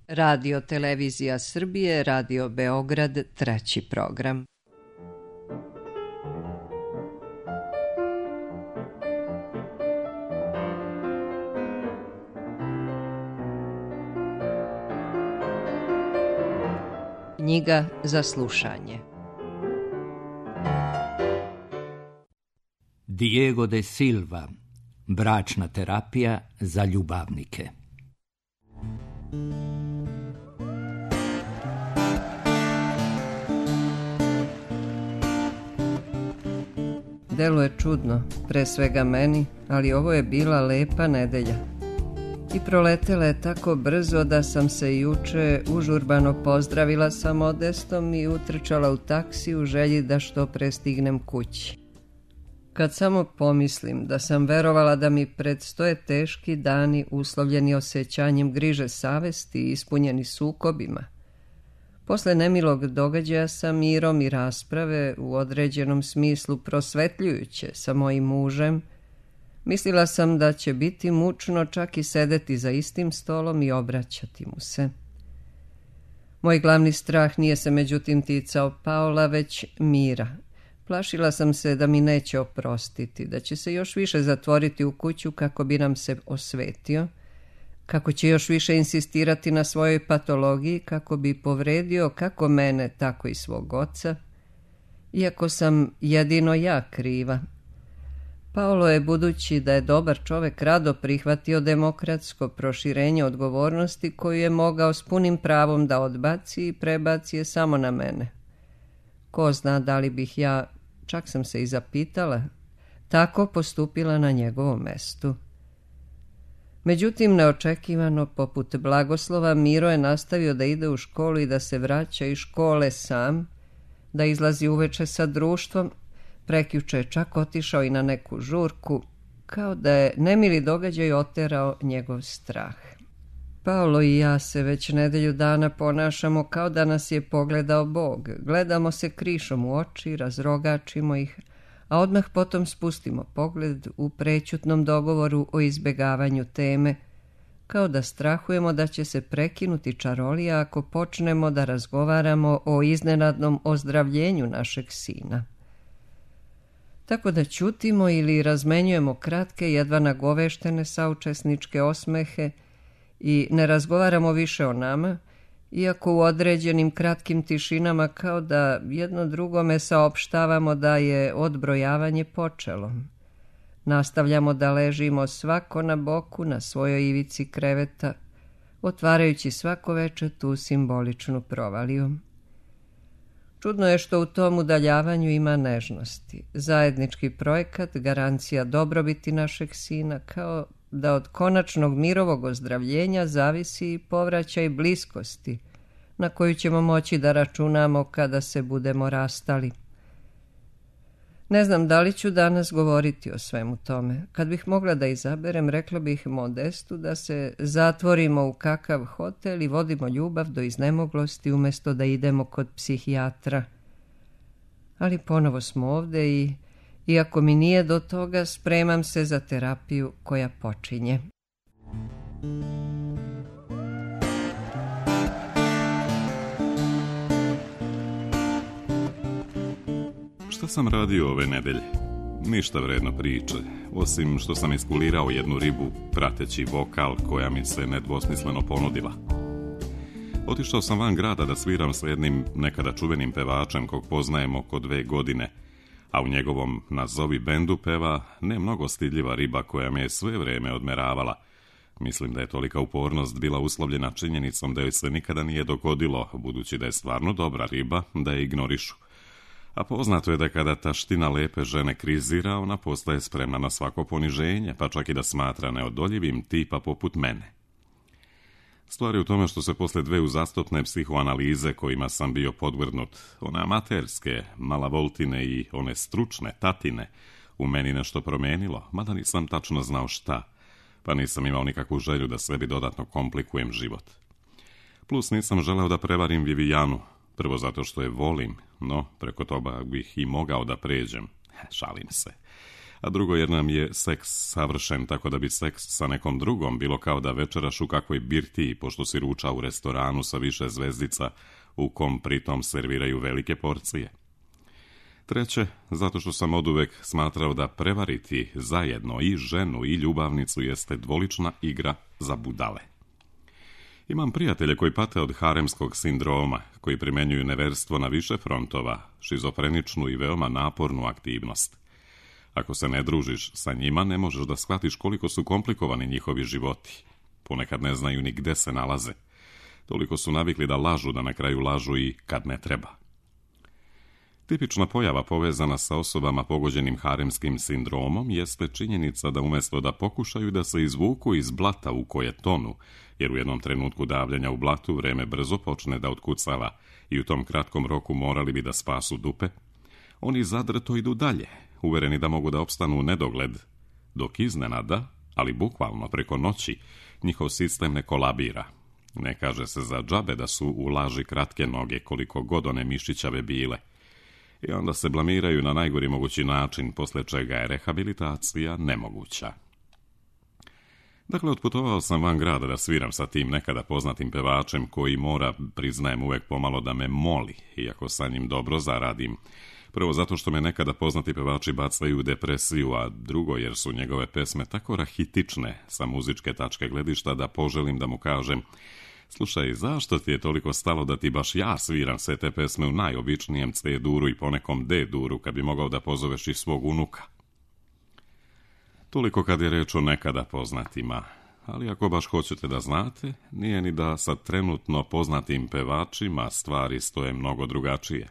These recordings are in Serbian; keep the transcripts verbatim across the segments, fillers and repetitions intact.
Radio Televizija Srbije, Radio Beograd, treći program. Knjiga za slušanje. Diego de Silva, bračna terapija za ljubavnike. Deluje čudno, pre svega meni, ali ovo je bila lepa nedelja. I proletela je tako brzo da sam se juče užurbano pozdravila sa Modestom i utrčala u taksi u želji da što pre stignem kući. Kad samo pomislim da sam verovala da mi predstoje teški dani uslovljeni osjećanjem griže savesti i ispunjeni sukobima, posle nemilog događaja sa mirom i rasprave u određenom smislu prosvetljujuće sa mojim mužem, mislila sam da će biti mučno čak i sedeti za istim stolom i obraćati mu se. Moj glavni strah nije se međutim ticao Paola, već Mira. Plašila sam se da mi neće oprostiti, da će se još više zatvoriti u kuću kako bi nam se osvetio, kako će još više insistirati na svojoj patologiji kako bi povredio kako mene, tako i svog oca, iako sam jedino ja kriva. Paolo je, budući da je dobar čovek, rado prihvatio demokratsko proširenje odgovornosti koju je mogao s punim pravom da odbaci i prebaci je samo na mene. Ko zna da li bih ja, čak sam se i zapitala, tako postupila na njegovom mestu. Međutim, neočekivano, poput blagoslova, Miro je nastavio da ide u školu i da se vraća iz škole sam, da izlazi uveče sa društvom, prekjuče je čak otišao i na neku žurku, kao da je nemili događaj oterao njegov strah. Paolo i ja se već nedelju dana ponašamo kao da nas je pogledao Bog. Gledamo se krišom u oči, razrogačimo ih, a odmah potom spustimo pogled u prećutnom dogovoru o izbegavanju teme, kao da strahujemo da će se prekinuti čarolija ako počnemo da razgovaramo o iznenadnom ozdravljenju našeg sina. Tako da ćutimo ili razmenjujemo kratke, jedva nagoveštene saučesničke osmehe i ne razgovaramo više o nama, iako u određenim kratkim tišinama kao da jedno drugome saopštavamo da je odbrojavanje počelo. Nastavljamo da ležimo svako na boku na svojoj ivici kreveta, otvarajući svako veče tu simboličnu provaliju. Čudno je što u tom udaljavanju ima nežnosti. Zajednički projekat, garancija dobrobiti našeg sina, kao da od konačnog mirovog ozdravljenja zavisi i povraćaj bliskosti na koju ćemo moći da računamo kada se budemo rastali. Ne znam da li ću danas govoriti o svemu tome. Kad bih mogla da izaberem, rekla bih Modestu da se zatvorimo u kakav hotel i vodimo ljubav do iznemoglosti umjesto da idemo kod psihijatra. Ali ponovo smo ovde i, iako mi nije do toga, spremam se za terapiju koja počinje. Šta sam radio ove nedelje? Ništa vredno priče, osim što sam iskulirao jednu ribu prateći vokal koja mi se nedvosmisleno ponudila. Otišao sam van grada da sviram sa jednim nekada čuvenim pevačem kog poznajem oko dve godine, a u njegovom nazovi bendu peva ne mnogo stidljiva riba koja me je sve vreme odmeravala. Mislim da je tolika upornost bila uslovljena činjenicom da joj se nikada nije dogodilo, budući da je stvarno dobra riba, da je ignorišu. A poznato je da kada taština lepe žene krizira, ona postaje spremna na svako poniženje, pa čak i da smatra neodoljivim tipa poput mene. Stvar je u tome što se posle dve uzastopne psihoanalize kojima sam bio podvrgnut, one amaterske, malavoltine i one stručne, tatine, u meni nešto promenilo, mada nisam tačno znao šta, pa nisam imao nikakvu želju da sebi dodatno komplikujem život. Plus nisam želeo da prevarim Vivijanu, prvo zato što je volim, no preko toga bih i mogao da pređem, šalim se. a drugo jer nam je seks savršen, tako da bi seks sa nekom drugom bilo kao da večeraš u kakvoj birtiji, pošto si ruča u restoranu sa više zvezdica, u kom pritom serviraju velike porcije. Treće, zato što sam oduvek smatrao da prevariti zajedno i ženu i ljubavnicu jeste dvolična igra za budale. Imam prijatelje koji pate od haremskog sindroma, koji primenjuju neverstvo na više frontova, šizofreničnu i veoma napornu aktivnost. Ako se ne družiš sa njima, ne možeš da shvatiš koliko su komplikovani njihovi životi. Ponekad ne znaju ni gde se nalaze. Toliko su navikli da lažu, da na kraju lažu i kad ne treba. Tipična pojava povezana sa osobama pogođenim haremskim sindromom jeste činjenica da umjesto da pokušaju da se izvuku iz blata u koje tonu, jer u jednom trenutku davljanja u blatu vreme brzo počne da otkucava i u tom kratkom roku morali bi da spasu dupe, oni zadrto idu dalje, uvereni da mogu da opstanu u nedogled, dok iznenada, ali bukvalno preko noći, njihov sistem ne kolabira. Ne kaže se za džabe da su u laži kratke noge koliko god one mišićave bile. I onda se blamiraju na najgori mogući način, posle čega je rehabilitacija nemoguća. Dakle, otputovao sam van grada da sviram sa tim nekada poznatim pevačem koji mora, priznajem, uvek pomalo da me moli, iako sa njim dobro zaradim. Prvo zato što me nekada poznati pevači bacaju u depresiju, a drugo jer su njegove pesme tako rahitične sa muzičke tačke gledišta da poželim da mu kažem: slušaj, zašto ti je toliko stalo da ti baš ja sviram sve te pesme u najobičnijem C-duru i ponekom D-duru, kad bi mogao da pozoveš i svog unuka? Toliko kad je reč o nekada poznatima, ali ako baš hoćete da znate, nije ni da sa trenutno poznatim pevačima stvari stoje mnogo drugačije.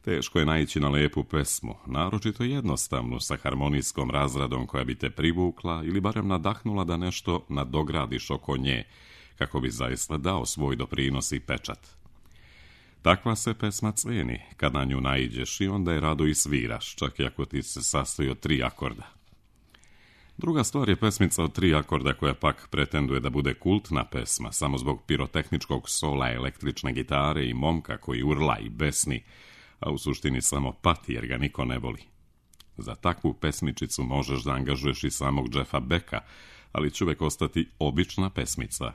Teško je naići na lepu pesmu, naročito jednostavnu, sa harmonijskom razradom koja bi te privukla ili barem nadahnula da nešto nadogradiš oko nje, kako bi zaista dao svoj doprinos i pečat. Takva se pesma ceni kad na nju naiđeš i onda je rado i sviraš, čak i ako ti se sastoji od tri akorda. Druga stvar je pesmica od tri akorda koja pak pretenduje da bude kultna pesma samo zbog pirotehničkog sola električne gitare i momka koji urla i besni, a u suštini samo pati jer ga niko ne voli. Za takvu pesmičicu možeš da angažuješ i samog Jeffa Becka, ali će uvek ostati obična pesmica.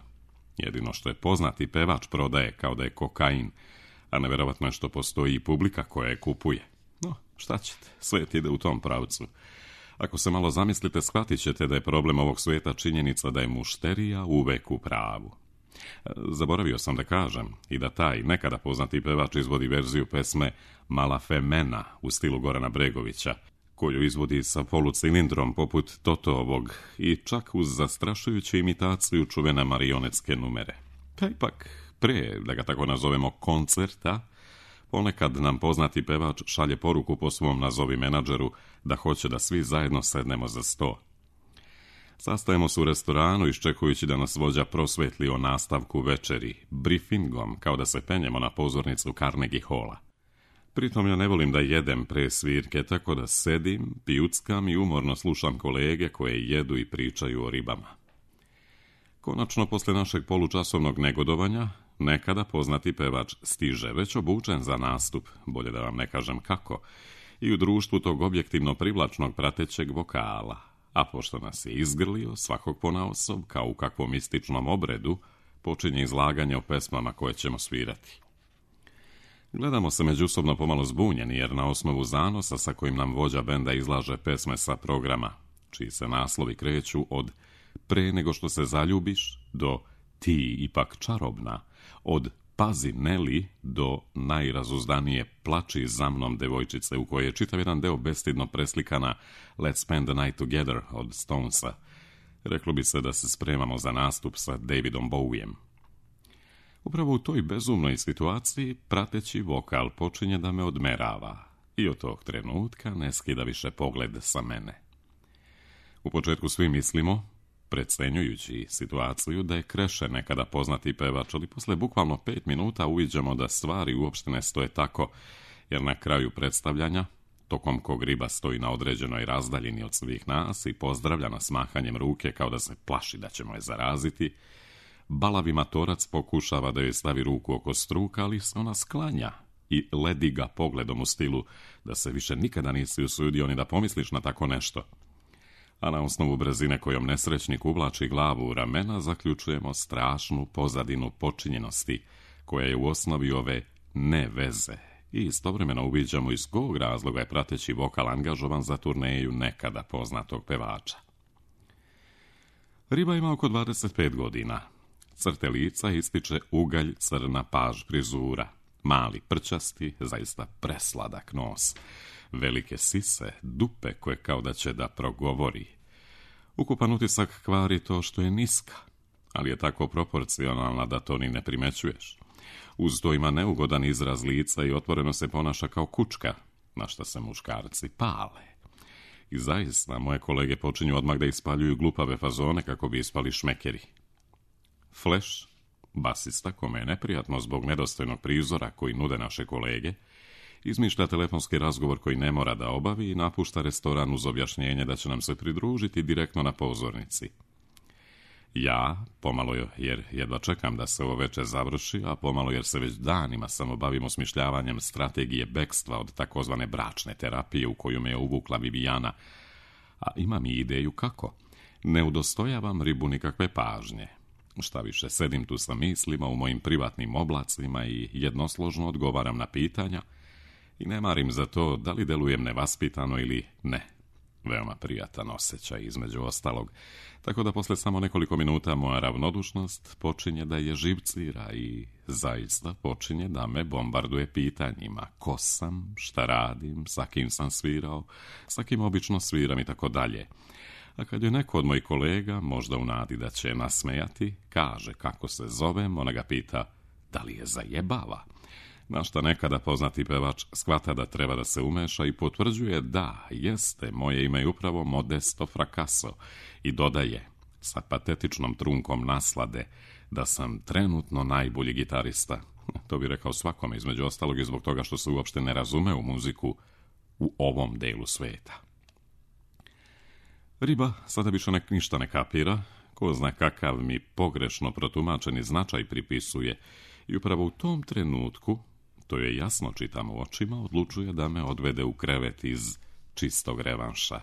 Jedino što je poznati pevač prodaje kao da je kokain, a neverovatno je što postoji i publika koja je kupuje. No, šta ćete, svet ide u tom pravcu. Ako se malo zamislite, shvatit ćete da je problem ovog sveta činjenica da je mušterija uvek u pravu. Zaboravio sam da kažem i da taj nekada poznati pevač izvodi verziju pesme Mala Femena u stilu Gorana Bregovića, koju izvodi sa polucilindrom poput Totovog i čak uz zastrašujuću imitaciju čuvene marionetske numere. Pa ipak, pre, da ga tako nazovemo, koncerta, ponekad nam poznati pevač šalje poruku po svom nazovi menadžeru da hoće da svi zajedno sednemo za sto. Sastajemo se u restoranu iščekujući da nas vođa prosvetli o nastavku večeri, briefingom, kao da se penjemo na pozornicu Carnegie Halla. Pritom ja ne volim da jedem pre svirke, tako da sedim, pijuckam i umorno slušam kolege koje jedu i pričaju o ribama. Konačno, posle našeg polučasovnog negodovanja, nekada poznati pevač stiže, već obučen za nastup, bolje da vam ne kažem kako, i u društvu tog objektivno privlačnog pratećeg vokala. A pošto nas je izgrlio, svakog ponaosob, kao u kakvom mističnom obredu, počinje izlaganje o pesmama koje ćemo svirati. Gledamo se međusobno pomalo zbunjeni, jer na osnovu zanosa sa kojim nam vođa benda izlaže pesme sa programa, čiji se naslovi kreću od Pre nego što se zaljubiš do Ti ipak čarobna, od Pazi Neli do najrazuzdanije Plači za mnom devojčice, u kojoj je čitav jedan deo bestidno preslikana Let's Spend the Night Together od Stonesa. Reklo bi se da se spremamo za nastup sa Davidom Bowiem. Upravo u toj bezumnoj situaciji prateći vokal počinje da me odmerava i od tog trenutka ne skida više pogled sa mene. U početku svi mislimo, precenjujući situaciju, da je Kreše nekada poznati pevač, ali posle bukvalno pet minuta uviđamo da stvari uopšte ne stoje tako, jer na kraju predstavljanja, tokom kog riba stoji na određenoj razdaljini od svih nas i pozdravlja nas mahanjem ruke kao da se plaši da ćemo je zaraziti, balavi matorac pokušava da joj stavi ruku oko struka, ali se ona sklanja i ledi ga pogledom u stilu da se više nikada nisi usudio ni da pomisliš na tako nešto. A na osnovu brzine kojom nesrećnik uvlači glavu u ramena zaključujemo strašnu pozadinu počinjenosti koja je u osnovi ove ne veze i istovremeno uviđamo iz kog razloga je prateći vokal angažovan za turneju nekada poznatog pevača. Riba ima oko dvadeset pet godina. Crte lica ističe ugalj crna paž frizura, mali prčasti, zaista presladak nos, velike sise, dupe koje kao da će da progovori. Ukupan utisak kvari to što je niska, ali je tako proporcionalna da to ni ne primećuješ. Uz to ima neugodan izraz lica i otvoreno se ponaša kao kučka, na šta se muškarci pale. I zaista, moje kolege počinju odmah da ispaljuju glupave fazone kako bi ispali šmekeri. Flash, basista, kome je neprijatno zbog nedostojnog prizora koji nude naše kolege, izmišlja telefonski razgovor koji ne mora da obavi i napušta restoran uz objašnjenje da će nam se pridružiti direktno na pozornici. Ja, pomalo jer jedva čekam da se ovo veče završi, a pomalo jer se već danima samo bavimo smišljavanjem strategije bekstva od takozvane bračne terapije u koju me je uvukla Vivijana, a imam i ideju kako. Ne udostojavam Ribu nikakve pažnje. Šta više, sedim tu sa mislima u mojim privatnim oblacima i jednosložno odgovaram na pitanja i ne marim za to da li delujem nevaspitano ili ne. Veoma prijatan osjećaj između ostalog, tako da posle samo nekoliko minuta moja ravnodušnost počinje da je živcira i zaista počinje da me bombarduje pitanjima ko sam, šta radim, sa kim sam svirao, sa kim obično sviram i tako dalje. A kad je neko od mojih kolega, možda u nadi da će nasmejati, kaže kako se zovem, ona ga pita da li je zajebava. Na šta nekada poznati pevač shvata da treba da se umeša i potvrđuje da, jeste, moje ime je upravo Modesto Fracasso i dodaje sa patetičnom trunkom naslade da sam trenutno najbolji gitarista. To bi rekao svakome, između ostalog i zbog toga što se uopšte ne razume u muziku u ovom delu sveta. Riba sada više nek ništa ne kapira, ko zna kakav mi pogrešno protumačeni značaj pripisuje i upravo u tom trenutku, to je jasno čitam u očima, odlučuje da me odvede u krevet iz čistog revanša.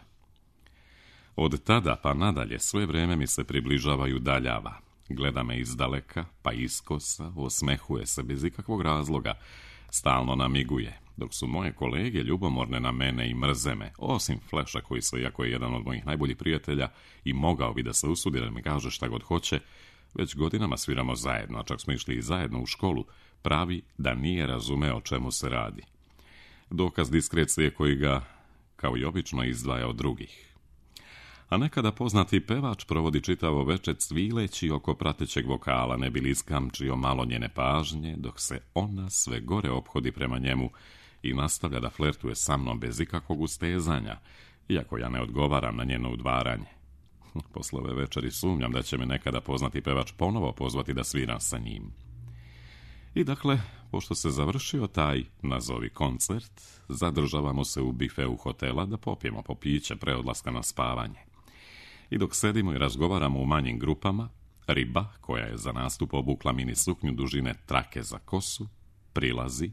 Od tada pa nadalje sve vreme mi se približava i udaljava. Gleda me izdaleka, pa iskosa, osmehuje se bez ikakvog razloga, stalno namiguje, dok su moje kolege ljubomorne na mene i mrze me, osim Flasha koji se, iako je jedan od mojih najboljih prijatelja i mogao bi da se usudi da mi kaže šta god hoće, već godinama sviramo zajedno, a čak smo išli i zajedno u školu, pravi da nije razumeo o čemu se radi. Dokaz diskrecije koji ga, kao i obično, izdvaja od drugih. A nekada poznati pevač provodi čitavo veče cvileći oko pratećeg vokala, ne bi li iskamčio malo njene pažnje, dok se ona sve gore ophodi prema njemu i nastavlja da flertuje sa mnom bez ikakvog ustezanja, iako ja ne odgovaram na njeno udvaranje. Posle ove večeri sumnjam da će me nekada poznati pevač ponovo pozvati da sviram sa njim. I dakle, pošto se završio taj, nazovi koncert, zadržavamo se u bifeu hotela da popijemo po piće pre odlaska na spavanje. I dok sedimo i razgovaramo u manjim grupama, Riba, koja je za nastup obukla mini suknju dužine trake za kosu, prilazi,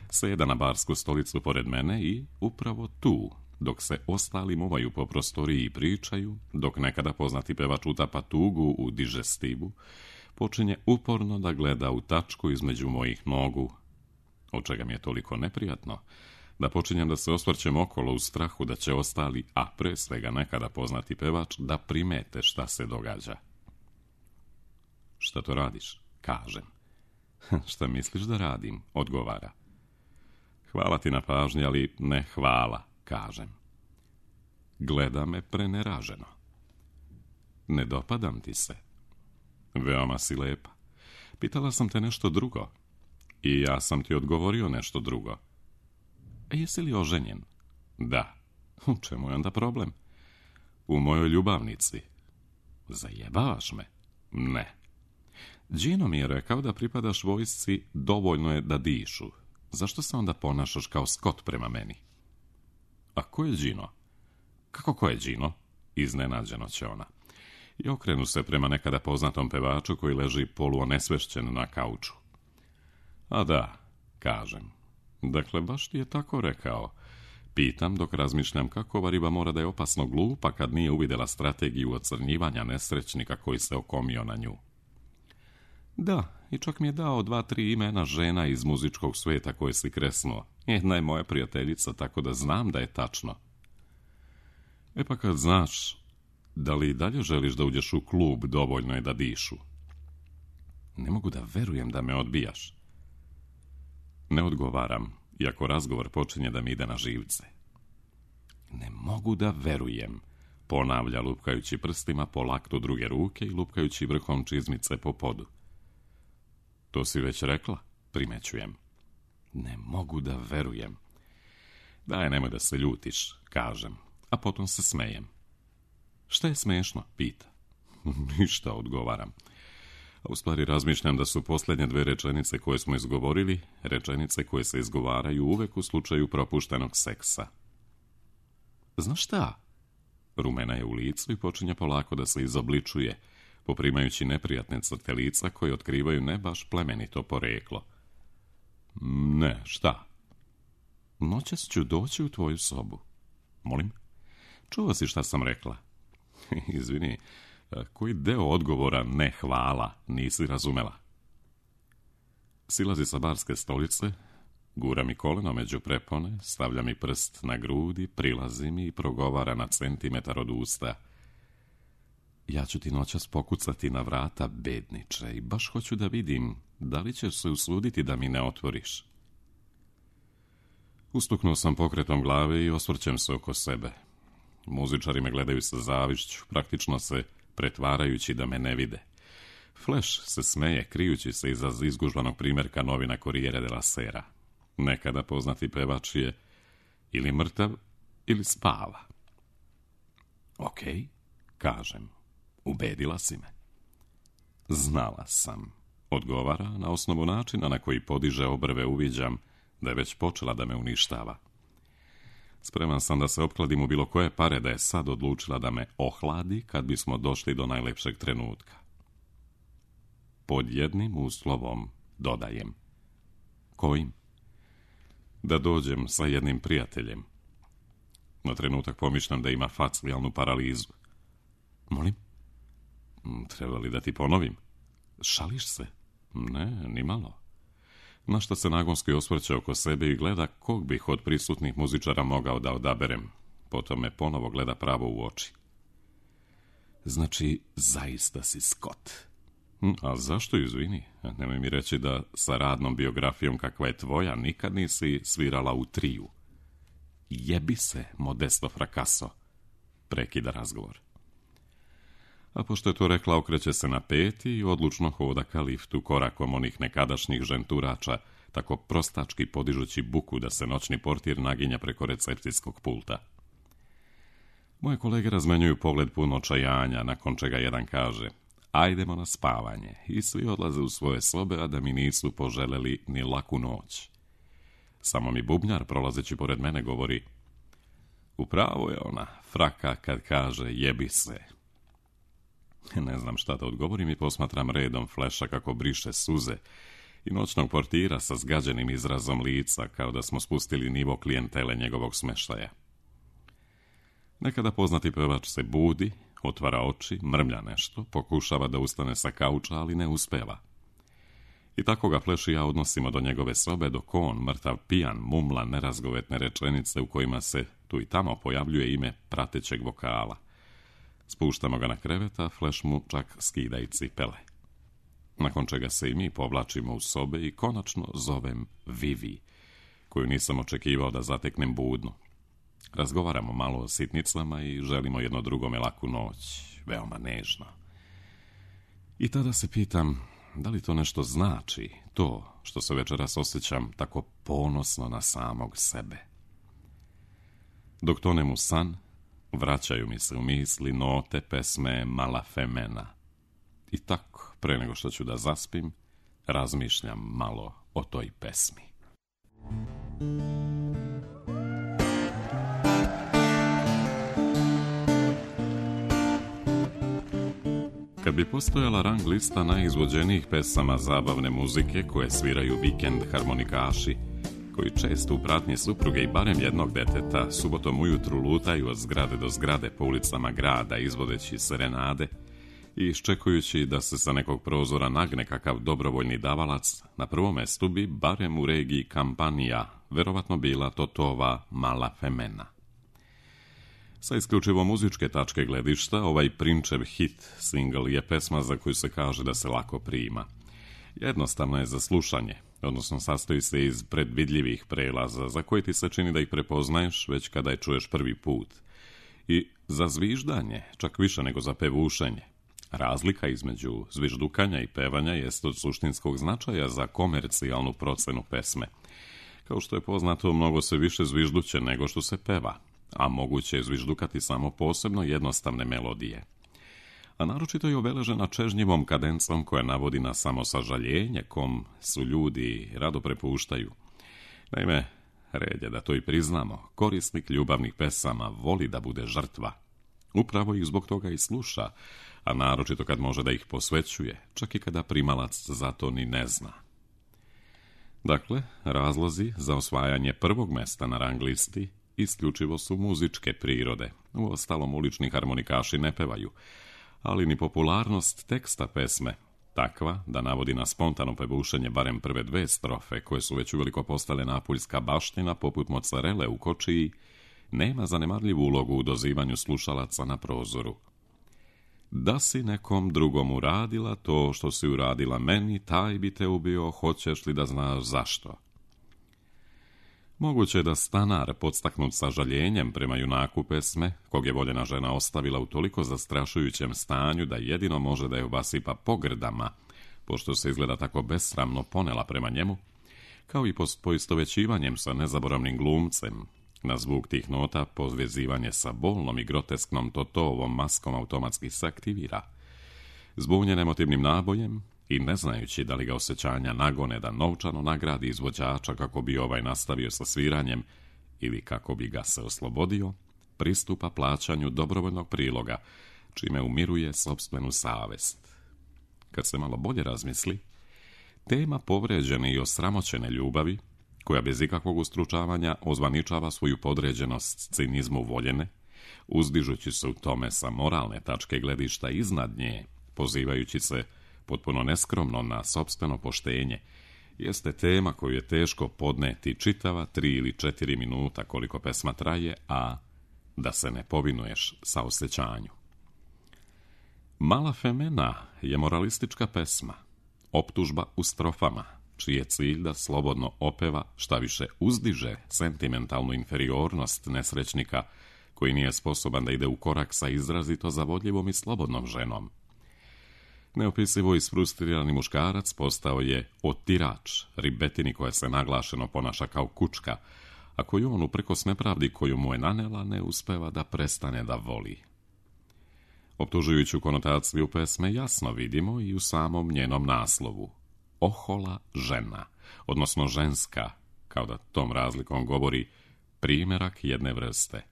sjeda na barsku stolicu pored mene i upravo tu, dok se ostali muvaju po prostoriji i pričaju, dok nekada poznati pevač utapa tugu u digestivu, počinje uporno da gleda u tačku između mojih nogu, od čega mi je toliko neprijatno, da počinjem da se osvrćem okolo u strahu da će ostali, a pre svega nekada poznati pevač, da primete šta se događa. Šta to radiš? Kažem. Šta misliš da radim? Odgovara. Hvala ti na pažnji, ali ne hvala, kažem. Gleda me preneraženo. Ne dopadam ti se. Veoma si lepa. Pitala sam te nešto drugo. I ja sam ti odgovorio nešto drugo. E, jesi li oženjen? Da. U čemu je onda problem? U mojoj ljubavnici. Zajebavaš me? Ne. Gino mi je rekao da pripadaš vojsci, dovoljno je da dišu. Zašto se onda ponašaš kao skot prema meni? A ko je Gino? Kako ko je Gino? Iznenađeno će ona. I okrenu se prema nekada poznatom pevaču koji leži poluonesvešćen na kauču. A da, kažem, Dakle, baš ti je tako rekao. Pitam dok razmišljam kako ova riba mora da je opasno glupa kad nije uvidjela strategiju ocrnjivanja nesrećnika koji se okomio na nju. Da, i čak mi je dao dva, tri imena žena iz muzičkog svijeta koje si kresnuo. Jedna je moja prijateljica, tako da znam da je tačno. E pa kad znaš, da li i dalje želiš da uđeš u klub, dovoljno je da dišu? Ne mogu da verujem da me odbijaš. Ne odgovaram, iako razgovor počinje da mi ide na živce. Ne mogu da verujem, ponavlja lupkajući prstima po laktu druge ruke i lupkajući vrhom čizmice po podu. To si već rekla, primećujem. Ne mogu da verujem. Daj, nemoj da se ljutiš, kažem, a potom se smejem. Šta je smešno, pita. Ništa, odgovaram. A u stvari razmišljam da su posljednje dve rečenice koje smo izgovorili, rečenice koje se izgovaraju uvek u slučaju propuštenog seksa. Znaš šta? Rumena je u licu i počinje polako da se izobličuje, poprimajući neprijatne crte lica koje otkrivaju ne baš plemenito poreklo. Ne, šta? Noćas ću doći u tvoju sobu. Molim? Čuo si šta sam rekla? Izvini, koji deo odgovora ne hvala nisi razumela? Silazi sa barske stolice, gura mi koleno među prepone, stavlja mi prst na grudi, prilazi mi i progovara na centimetar od usta. Ja ću ti noćas pokucati na vrata, bedniče, i baš hoću da vidim da li ćeš se usuditi da mi ne otvoriš. Ustuknuo sam pokretom glave i osvrćem se oko sebe. Muzičari me gledaju sa zavišću, praktično se pretvarajući da me ne vide. Flash se smeje, krijući se iza izgužvanog primjerka novina Corriere della Sera. Nekada poznati pevač je ili mrtav, ili spava. Ok, kažem, ubedila si me. Znala sam, odgovara, na osnovu načina na koji podiže obrve uviđam da je već počela da me uništava. Spreman sam da se opkladim u bilo koje pare da je sad odlučila da me ohladi kad bismo došli do najlepšeg trenutka. Pod jednim uslovom, dodajem. Kojim? Da dođem sa jednim prijateljem. Na trenutak pomišljam da ima facijalnu paralizu. Molim? Treba li da ti ponovim? Šališ se? Ne, ni malo. Na što se nagonski osvrće oko sebe i gleda kog bih od prisutnih muzičara mogao da odaberem. Potom me ponovo gleda pravo u oči. Znači, zaista si Scott. A zašto, izvini? Nemoj mi reći da sa radnom biografijom kakva je tvoja nikad nisi svirala u triju. Jebi se, Modesto Fracasso, prekida razgovor. A pošto je to rekla, okreće se na peti i odlučno hoda ka liftu korakom onih nekadašnjih ženturača, tako prostački podižući buku da se noćni portir naginja preko recepcijskog pulta. Moje kolege razmenjuju pogled pun očajanja, nakon čega jedan kaže: ajdemo na spavanje, i svi odlaze u svoje sobe, a da mi nisu poželeli ni laku noć. Samo mi bubnjar, prolazeći pored mene, govori: upravo je ona, fraka, kad kaže jebi se. Ne znam šta da odgovorim i posmatram redom Flasha kako briše suze i noćnog portira sa zgađenim izrazom lica, kao da smo spustili nivo klijentele njegovog smeštaja. Nekada poznati pevač se budi, otvara oči, mrmlja nešto, pokušava da ustane sa kauča, ali ne uspeva. I tako ga Flash i ja odnosimo do njegove sobe, dok on, mrtav pijan, mumla nerazgovetne rečenice u kojima se tu i tamo pojavljuje ime pratećeg vokala. Spuštamo ga na krevet, a Flash mu čak skida i cipele. Nakon čega se i mi povlačimo u sobe i konačno zovem Vivi, koju nisam očekivao da zateknem budnu. Razgovaramo malo o sitnicama i želimo jedno drugome laku noć, veoma nežno. I tada se pitam, da li to nešto znači, to što se večeras osjećam tako ponosno na samog sebe. Dok tonem u san, vraćaju mi se u misli note pesme Mala Femena. I tako, pre nego što ću da zaspim, razmišljam malo o toj pesmi. Kad bi postojala rang lista najizvođenijih pesama zabavne muzike koje sviraju vikend harmonikaši, koji često u pratnji supruge i barem jednog deteta subotom ujutru lutaju od zgrade do zgrade po ulicama grada izvodeći serenade i iščekujući da se sa nekog prozora nagne kakav dobrovoljni davalac, na prvom mestu bi, barem u regiji Kampanija, verovatno bila Totova Mala Femena. Sa isključivo muzičke tačke gledišta, ovaj Prinčev hit single je pesma za koju se kaže da se lako prima. Jednostavno je za slušanje, odnosno sastoji se iz predvidljivih prelaza za koje ti se čini da ih prepoznaješ već kada je čuješ prvi put. I za zviždanje, čak više nego za pevušenje. Razlika između zviždukanja i pevanja jest od suštinskog značaja za komercijalnu procenu pesme. Kao što je poznato, mnogo se više zvižduće nego što se peva, a moguće je zviždukati samo posebno jednostavne melodije. A naročito je obeležena čežnjivom kadencom koja navodi na samosažaljenje kom su ljudi rado prepuštaju. Naime, red je da to i priznamo, korisnik ljubavnih pesama voli da bude žrtva. Upravo ih zbog toga i sluša, a naročito kad može da ih posvećuje, čak i kada primalac za to ni ne zna. Dakle, razlozi za osvajanje prvog mesta na rang listi isključivo su muzičke prirode. Uostalom, ulični harmonikaši ne pevaju, ali ni popularnost teksta pesme, takva da navodi na spontano pevušenje barem prve dve strofe, koje su već uveliko postale napuljska baština poput mocarele u kočiji, nema zanemarljivu ulogu u dozivanju slušalaca na prozoru. Da si nekom drugom uradila to što si uradila meni, taj bi te ubio, hoćeš li da znaš zašto? Moguće je da stanar, podstaknut sažaljenjem prema junaku pesme, kog je voljena žena ostavila u toliko zastrašujućem stanju da jedino može da je obasipa pogrdama, pošto se izgleda tako besramno ponela prema njemu, kao i poistovećivanjem sa nezaboravnim glumcem, na zvuk tih nota pozvezivanje sa bolnom i grotesknom Totovom maskom automatski se aktivira. Zbunjen emotivnim nabojem i ne znajući da li ga osjećanja nagone da novčano nagradi izvođača kako bi ovaj nastavio sa sviranjem ili kako bi ga se oslobodio, pristupa plaćanju dobrovoljnog priloga, čime umiruje sopstvenu savest. Kad se malo bolje razmisli, tema povređene i osramoćene ljubavi, koja bez ikakvog ustručavanja ozvaničava svoju podređenost cinizmu voljene, uzdižući se u tome sa moralne tačke gledišta iznad nje, pozivajući se potpuno neskromno na sopstveno poštenje, jeste tema koju je teško podneti čitava tri ili četiri minuta koliko pesma traje, a da se ne povinuješ sa osjećanju. Mala Femena je moralistička pesma, optužba u strofama, čiji je cilj da slobodno opeva, šta više uzdiže sentimentalnu inferiornost nesrećnika koji nije sposoban da ide u korak sa izrazito zavodljivom i slobodnom ženom. Neopisivo isfrustrirani muškarac postao je otirač, ribetini koja se naglašeno ponaša kao kučka, a koju on uprkos nepravdi koju mu je nanela ne uspeva da prestane da voli. Optužujuću konotaciju pesme jasno vidimo i u samom njenom naslovu. Ohola žena, odnosno ženska, kao da tom razlikom govori primjerak jedne vrste.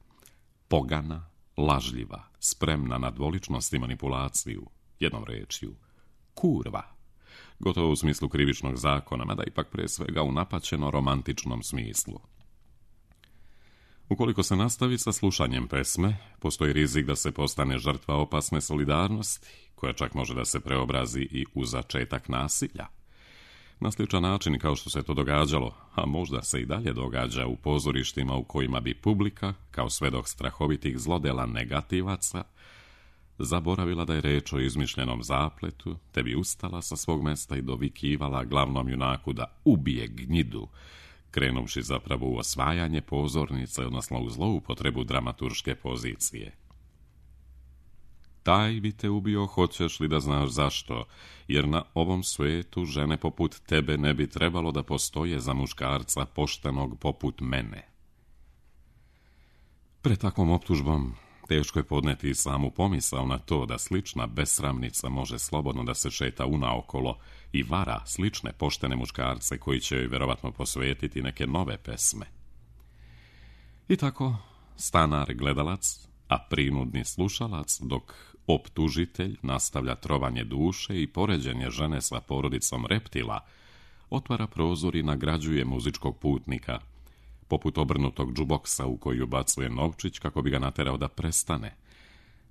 Pogana, lažljiva, spremna na dvoličnost i manipulaciju, jednom rečju, kurva, gotovo u smislu krivičnog zakona, mada ipak pre svega u napaćeno romantičnom smislu. Ukoliko se nastavi sa slušanjem pesme, postoji rizik da se postane žrtva opasne solidarnosti, koja čak može da se preobrazi i u začetak nasilja. Na sličan način kao što se to događalo, a možda se i dalje događa u pozorištima u kojima bi publika, kao svedok strahovitih zlodela negativaca, zaboravila da je reč o izmišljenom zapletu, te bi ustala sa svog mesta i dovikivala glavnom junaku da ubije gnjidu, krenuvši zapravo u osvajanje pozornice, odnosno u zloupotrebu dramaturške pozicije. Taj bi te ubio, hoćeš li da znaš zašto, jer na ovom svijetu žene poput tebe ne bi trebalo da postoje za muškarca poštenog poput mene. Pred takvom optužbom teško je podneti samu pomisao na to da slična besramnica može slobodno da se šeta unaokolo i vara slične poštene muškarce koji će joj verovatno posvetiti neke nove pesme. I tako, stanar gledalac, a prinudni slušalac, dok optužitelj nastavlja trovanje duše i poređenje žene sa porodicom reptila, otvara prozor i nagrađuje muzičkog putnika, poput obrnutog džuboksa u koji ubacuje novčić kako bi ga naterao da prestane,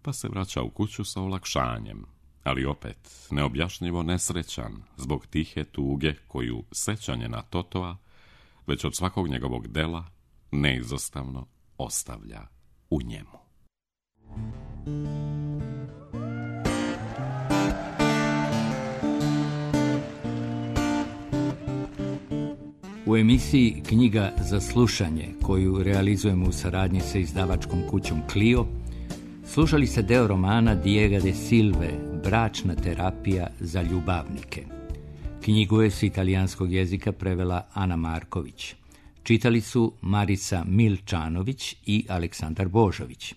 pa se vraća u kuću sa olakšanjem, ali opet neobjašnjivo nesrećan zbog tihe tuge koju sećanje na Totoa već od svakog njegovog dela neizostavno ostavlja u njemu. U emisiji Knjiga za slušanje, koju realizujemo u saradnji sa izdavačkom kućom Clio, slušali ste deo romana Diega de Silve, Bračna terapija za ljubavnike. Knjigu je s italijanskog jezika prevela Ana Marković. Čitali su Marica Milčanović i Aleksandar Božović.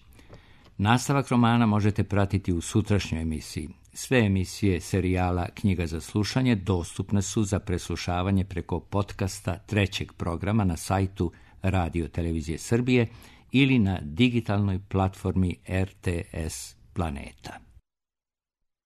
Nastavak romana možete pratiti u sutrašnjoj emisiji. Sve emisije serijala Knjiga za slušanje dostupne su za preslušavanje preko podcasta trećeg programa na sajtu Radio Televizije Srbije ili na digitalnoj platformi R T S Planeta.